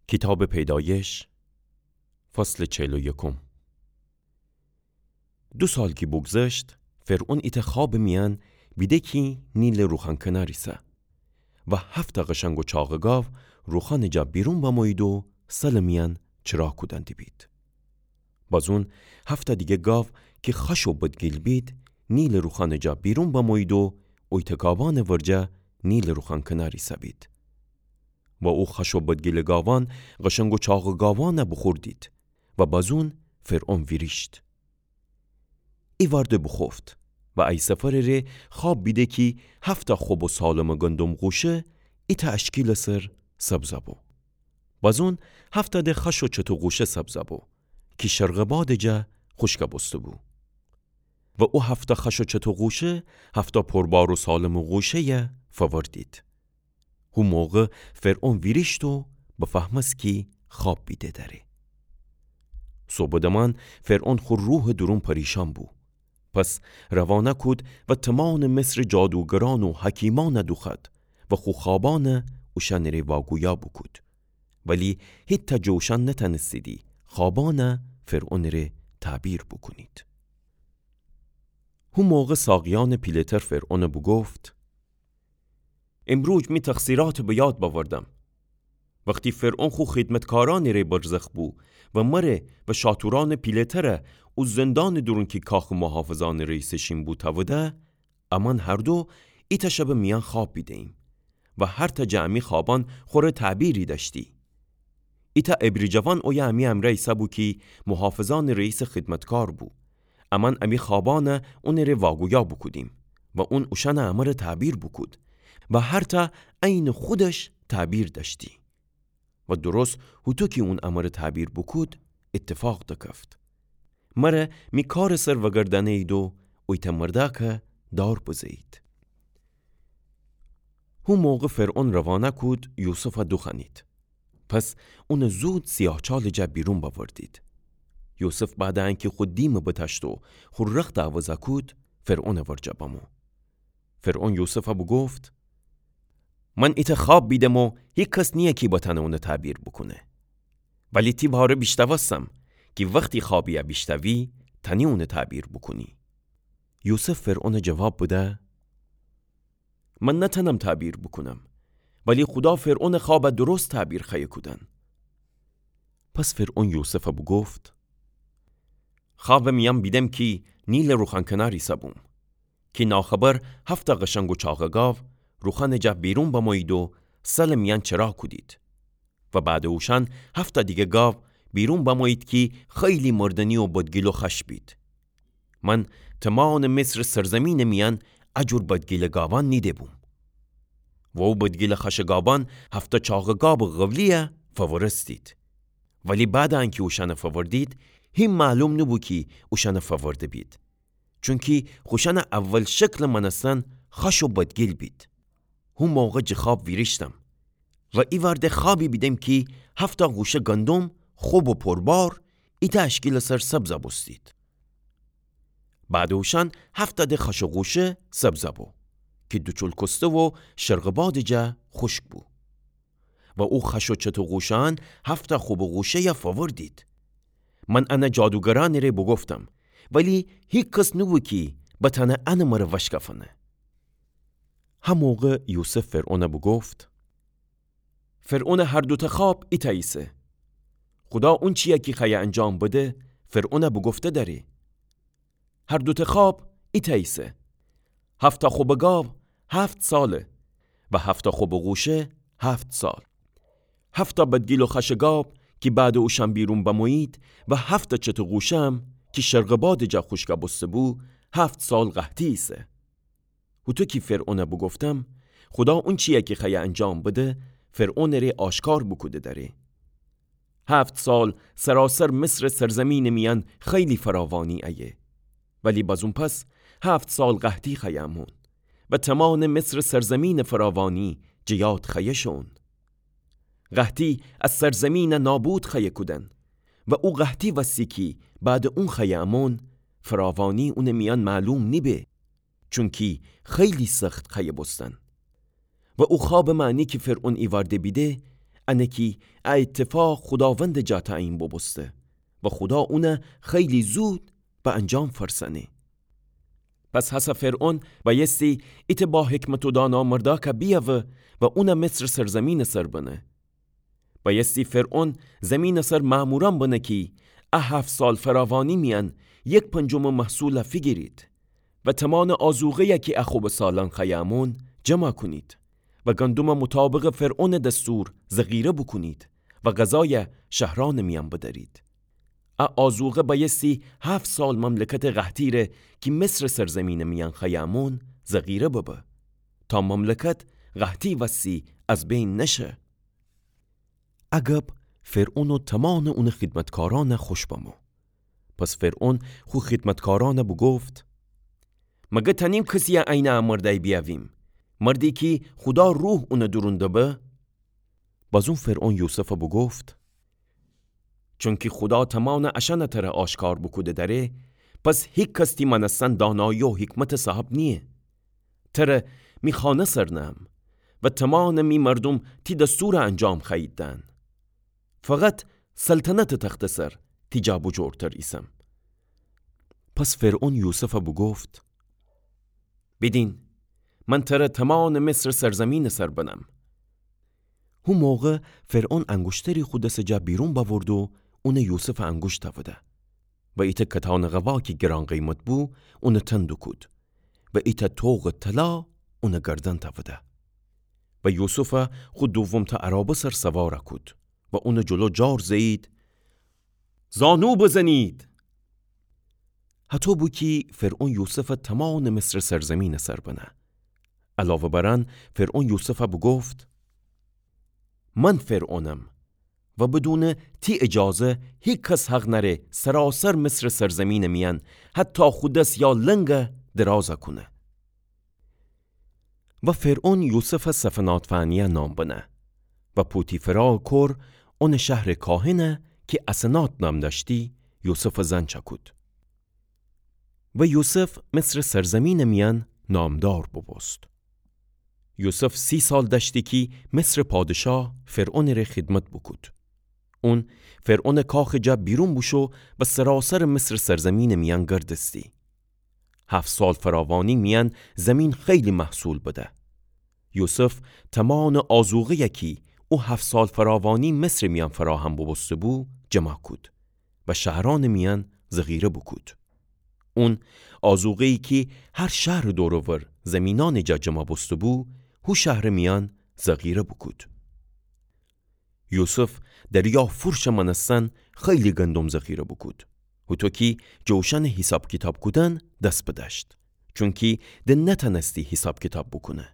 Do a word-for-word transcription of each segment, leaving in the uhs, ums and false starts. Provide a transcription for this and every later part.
کیتابٚ پیدایش، فصلٚ چل و یکم. دو سال کی بوگذشت، فرعون ایتأ خوابٚ میأن بیده کی نیلٚ روخان کنار ایسه و هفتأ قشنگ و چاقٚ گاو روخانٚ جا بیرون بمویید و سلٚ میأن چرا کودن دیبید. بازون هفتأ دیگه گاو کی خوش و بدگیل بید، نیلٚ روخانٚ جا بیرون بمویید و اویتأ گاوأنٚ ورجه نیلٚ روخان کنار ایسه‌بید. و او خوش و بدگیلٚ گاوأن قشنگ و چاقٚ گاوأنَ بوخوردید و بازون فرعون ویریشت. ایوارده بوخوفت و ای سفرٚ ره خواب بیده کی هفتأ خوب و سالمٚ گندم غوشه ایتأ اشکیلٚ سر سبزَ بو. بازون هفتأ ده خوش و چتو غوشه سبزَ بو کی شرقٚ بادٚ جا خوشکَ بوسته بو. و او هفتأ خوش و چتو غوشه هفتأ پربار و سالمٚ غوشه‌یَ فوردید. هو موقع فرعون ویریشت و بفهمست کی خواب بیده دأره. صبحٚ دمان فرعون خو روحٚ دورون پریشان بو. پس روانه کود و تومانٚ مصرٚ جادوگرأن و حکیمأنَ دوخوأد و خو خوابأنَ اوشأنٚ ره واگویا بوکود. ولی هیتأ جٚه اوشأن نتأنستیدی خوابأنَ فرعونٚ ره تعبیر بوکونید. هو موقع ساقیأنٚ پیله‌تر فرعونَ بوگفت: امروز می تقصیراتَ به یاد بأوردم. وختی فرعون خو خدمتکارأنٚ ره برزخ بو و مره و شاتورأنٚ پیله‌ترَ او زندانٚ دورون کی کاخٚ محافظأنٚ رئیسٚ شین بو تأوده، امأن هر دو ایتأ شبٚ میأن خواب بیده‌ییم و هرتأ جٚه امی خوابأن خوره تعبیری دأشتی. ایتأ عبری جوان اویه امی امرأ ایسه‌بو کی محافظأنٚ رئیسٚ خدمتکار بو. امأن امی خوابأنَ اونٚ ره واگویا بوکودیم و اون اوشأنٚ امره تعبیر بوکود و هرتأ عینٚ خودش تعبیر دأشتی. و درست هوطو کی اون امره تعبیر بوکود، ایتفاق دکفت. مره می کارٚ سر وگردأنه‌یید و اویتأ مردأکَ دار بزه‌یید. هو موقع فرعون روانه کود یوسفَ دوخوأنید. پس اونَ زود سیاهچالٚ جا بیرون بأوردید. یوسف بعدٚ انکی خو دیمَ بتأشت و خو رختَ عوضَ کود، فرعونٚ ورجه بمو. فرعون یوسفَ بوگفت: من ایتأ خواب بیدم و هیکس نییه کی بتأنه اونَ تعبیر بوکونه. ولی تی باره بیشتأوستم کی وختی خوابیَ بیشتأوی، تأنی اونَ تعبیر بوکونی. یوسف فرعونَ جواب بده: من نتأنم تعبیر بوکونم، ولی خودا فرعونٚ خوابَ درست تعبیر خوأیه کودن. پس فرعون یوسفَ بوگفت: خوابٚ میأن بیدم کی نیلٚ روخان کنار ایسه‌بوم، کی ناخبر هفتأ قشنگ و چاقٚ گاو روخانٚ جا بیرون بمویید و سلٚ میأن چرا کودید. و بعدٚ اوشأن هفتأ دیگه گاو بیرون بمویید کی خیلی مردنی و بدگیل و خوش بید. من تومانٚ مصرٚ سرزیمینٚ میأن ا جور بدگیلٚ گاوأن نیده‌بوم. و او بدگیلٚ خوشٚ گاوأن هفتأ چاقٚ گاوٚ قولیَ فوورستید. ولی بعدٚ انکی اوشأنَ فووردید، هی معلوم نوبو کی اوشأنَ فوورده‌بید. چونکی خوشأنٚ اول شکلٚ مأنستن خوش و بدگیل بید. هو موقع جٚه خواب ویریشتم و ایوارده خوابی بیدم کی هفتأ غوشه گندم خوب و پربار ایتأ اشکیلٚ سر سبزَ بوستید. بعدٚ اوشأن هفتأ ده خوشٚ غوشه سبزَ بو کی دوچول کوسته و شرقٚ بادٚ جا خوشک بو. و او خوش و چتو غوشه‌أن هفتأ خوبٚ غوشه‌یَ فووردید. من انَ جادوگرأنٚ ره بوگفتم، ولی هیکس نوبو کی بتأنه انٚ مره وشکفأنه. هه موقع یوسف فرعونَ بوگفت: فرعونٚ هر دوتأ خواب ایتأ ایسه. خودا اونچیَ کی خوأیه انجام بده، فرعونَ بوگفته دأره. هر دوتأ خواب ایتأ ایسه. هفتأ خوبٚ گاو هفت ساله و هفتأ خوبٚ غوشه هفت سال. هفتأ بدگیل و خوشٚ گاو کی بعدٚ اوشأن بیرون بمویید و هفتأ چتٚ غوشه‌م کی شرقٚ بادٚ جا خوشکَ بوسته‌بو، هفت سال قحطی ایسه. هوطو کی فرعونَ بوگفتم، خودا اونچیَ کی خوأیه انجام بده، فرعونٚ ره آشکار بوکوده دأره. هفت سال سراسر مصرٚ سرزیمینٚ میأن خیلی فراوانی ایه. ولی بازون پس هفت سال قحطی خوأیه امون و تومانٚ مصرٚ سرزیمینٚ فراوانی جٚه یاد خوأیه شون. قحطی ا سرزیمینَ نابود خوأیه کودن و او قحطی وستی کی بعدٚ اون خوأیه امون، فراوانی اونٚ میأن معلوم نیبه. چونکی خیلی سخت خوأیه بوستن. و او خوابٚ معنی کی فرعون ایوارده بیده، انه کی ا ایتفاق خوداوندٚ جا تعیین بوبوسته و خودا اونَ خیلی زود به انجام فأرسأنه. پس هسه فرعون بأیستی ایتأ با حکمت و دانا مردأکَ بیأوه و اونَ مصرٚ سرزمینٚ سر بنه. بأیستی فرعون زمینٚ سر مأمورأن بنه کی ا هفت سال فراوانی میأن یک پنجمٚ محصولَ فیگیرید و تمانٚ آذوقه‌یَ کی ا خبه سالأن خوأیه امون جمع کونید و گندمَ مطابقٚ فرعونٚ دستور ذخیره بوکونید و غذایَ شهرأنٚ میأن بدأرید. ا آذوقه بأیستی هفت سال مملکتٚ قحطی ره کی مصرٚ سرزمینٚ میأن خوأیه امون ذخیره ببه، تا مملکت قحطی وستی از بین نشه. ا گب فرعون و تمانٚ اونٚ خدمتکارأنَ خوش بمو. پس فرعون خو خدمتکارأنَ بوگفت: مگر تأنیم کسیَ عینٚ ا مردأی بیأویم، مردی کی خودا روح اونٚ دورون دبه؟ بازون فرعون یوسفَ بوگفت: چونکی خودا تمانٚ اشأنَ تره آشکار بوکوده دأره، پس هیکس تی مأنستن دانایی و حکمتٚ صاحب نییه. تره می خانه سر نهم و تمانٚ می مردوم تی دستورَ انجام خوأیید دهن. فقط سلطنتٚ تختٚ سر تی جا بجورتر ایسم. پس فرعون یوسفَ بوگفت: بیدین، من تره تمانٚ مصرٚ سرزمینٚ سر بنم. هو موقع فرعون انگوشتری خو دسٚ جا بیرون بأورد و اونَ یوسفٚ انگوش تأوده و ایتأ کتانٚ قوا کی گران قیمت بو، اونٚ تن دوکود و ایتأ طوقٚ طلا اونٚ گردن تأوده و یوسفَ خو دومتأ عرابه سر سوارَ کود و اونٚ جلو جار زه‌یید: زانو بزنید! هطو بو کی فرعون یوسفَ تمانٚ مصرٚ سرزمینٚ سر بنه. علاوه بر ان، فرعون یوسفَ بوگفت: من فرعونم و بدونٚ تی اجازه هیکس حق نأره سراسر مصرٚ سرزمینٚ میأن حتی خو دس یا لنگَ درازَ کونه. و فرعون یوسفَ صفنات فعنیه نام بنه و پوتیفرا کور اونٚ شهرٚ کاهنَ کی اسنات نام دأشتی، یوسفٚ زن چأکود. و یوسف مصرٚ سرزمینٚ میأن نامدار بوبوست. یوسف سی سال دأشتی کی مصرٚ پادشاه فرعونٚ ره خدمت بوکود. اون فرعونٚ کاخٚ جا بیرون بوشو و سراسرٚ مصرٚ سرزمینٚ میأن گردستی. هفت سال فراوانی میأن زمین خیلی محصول بده. یوسف تمانٚ آذوقه‌یَ کی او هفت سال فراوانی مصرٚ میأن فراهم بوبوسته‌بو، جمع کود و شهرأنٚ میأن ذخیره بوکود. اون آذوقه‌یی کی هر شهرٚ دور و ور زمینأنٚ جا جمع بوسته‌بو، هو شهرٚ میأن ذخیره بوکود. یوسف دریا فورشٚ مأنستن خیلی گندم ذخیره بوکود، هوطو کی جوشأنٚ حیساب کیتاب کودن دس بدأشت، چونکی د نتأنستی حیساب کیتاب بوکونه.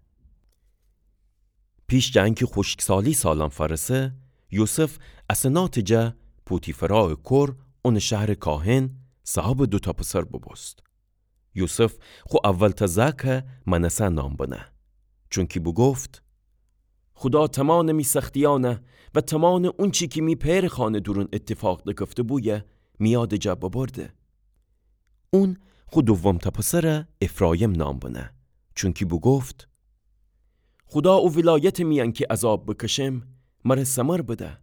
پیش جٚه انکی خوشکسالی سالأن فأرسه، یوسف اسناتٚ جا پوتیفرا کور اونٚ شهرٚ کاهن صاحبٚ دوتأ پسر بوبوست. یوسف خو اولتأ زأکَ منسه نام بنه، چونکی بوگفت: خودا تمانٚ می سختیأنَ و تمانٚ اونچی کی می پئرٚ خانه دورون ایتفاق دکفته‌بویه می یادٚ جا ببرده. اون خو دومتأ پسرَ افرایم نام بنه، چونکی بوگفت: خودا او ولایتٚ میأن کی عذاب بکشم، مره ثمر بده.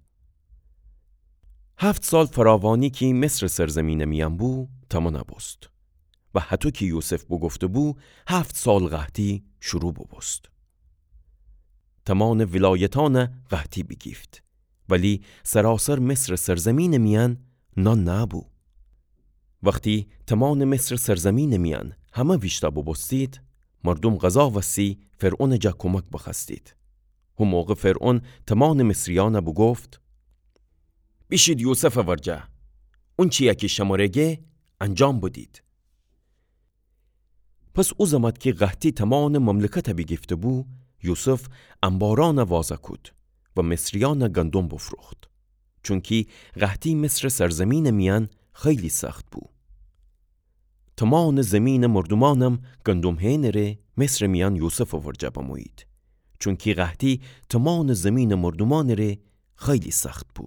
هفت سال فراوانی کی مصرٚ سرزمینٚ میأن بو، تمانَ بوست. و هطو کی یوسف بوگفته‌بو، هفت سال قحطی شروع بوبوست. تمانٚ ولایتأنَ قحطی بیگیفت، ولی سراسر مصرٚ سرزمینٚ میأن نان نأبو. وختی تمانٚ مصرٚ سرزمینٚ میأن همه ویشتأ بوبوستید، مردوم غذا وستی فرعونٚ جا کمک بخوأستید. هو موقع فرعون تمانٚ مصریأنَ بوگفت: بیشید یوسفٚ ورجه، اونچی‌یَ کی شمره گه انجام بدید. پس او زمأت کی قحطی تمانٚ مملکتَ بیگیفته‌بو، یوسف انبارأنَ وازَ کود و مصریأنَ گندم بوفروخت، چونکی قحطی مصرٚ سرزمینٚ میأن خیلی سخت بو. تمانٚ زمینٚ مردومأنم گندم هئنٚ ره مصرٚ میأن یوسفٚ ورجه بمویید، چونکی قحطی تمانٚ زمینٚ مردومأنٚ ره خیلی سخت بو.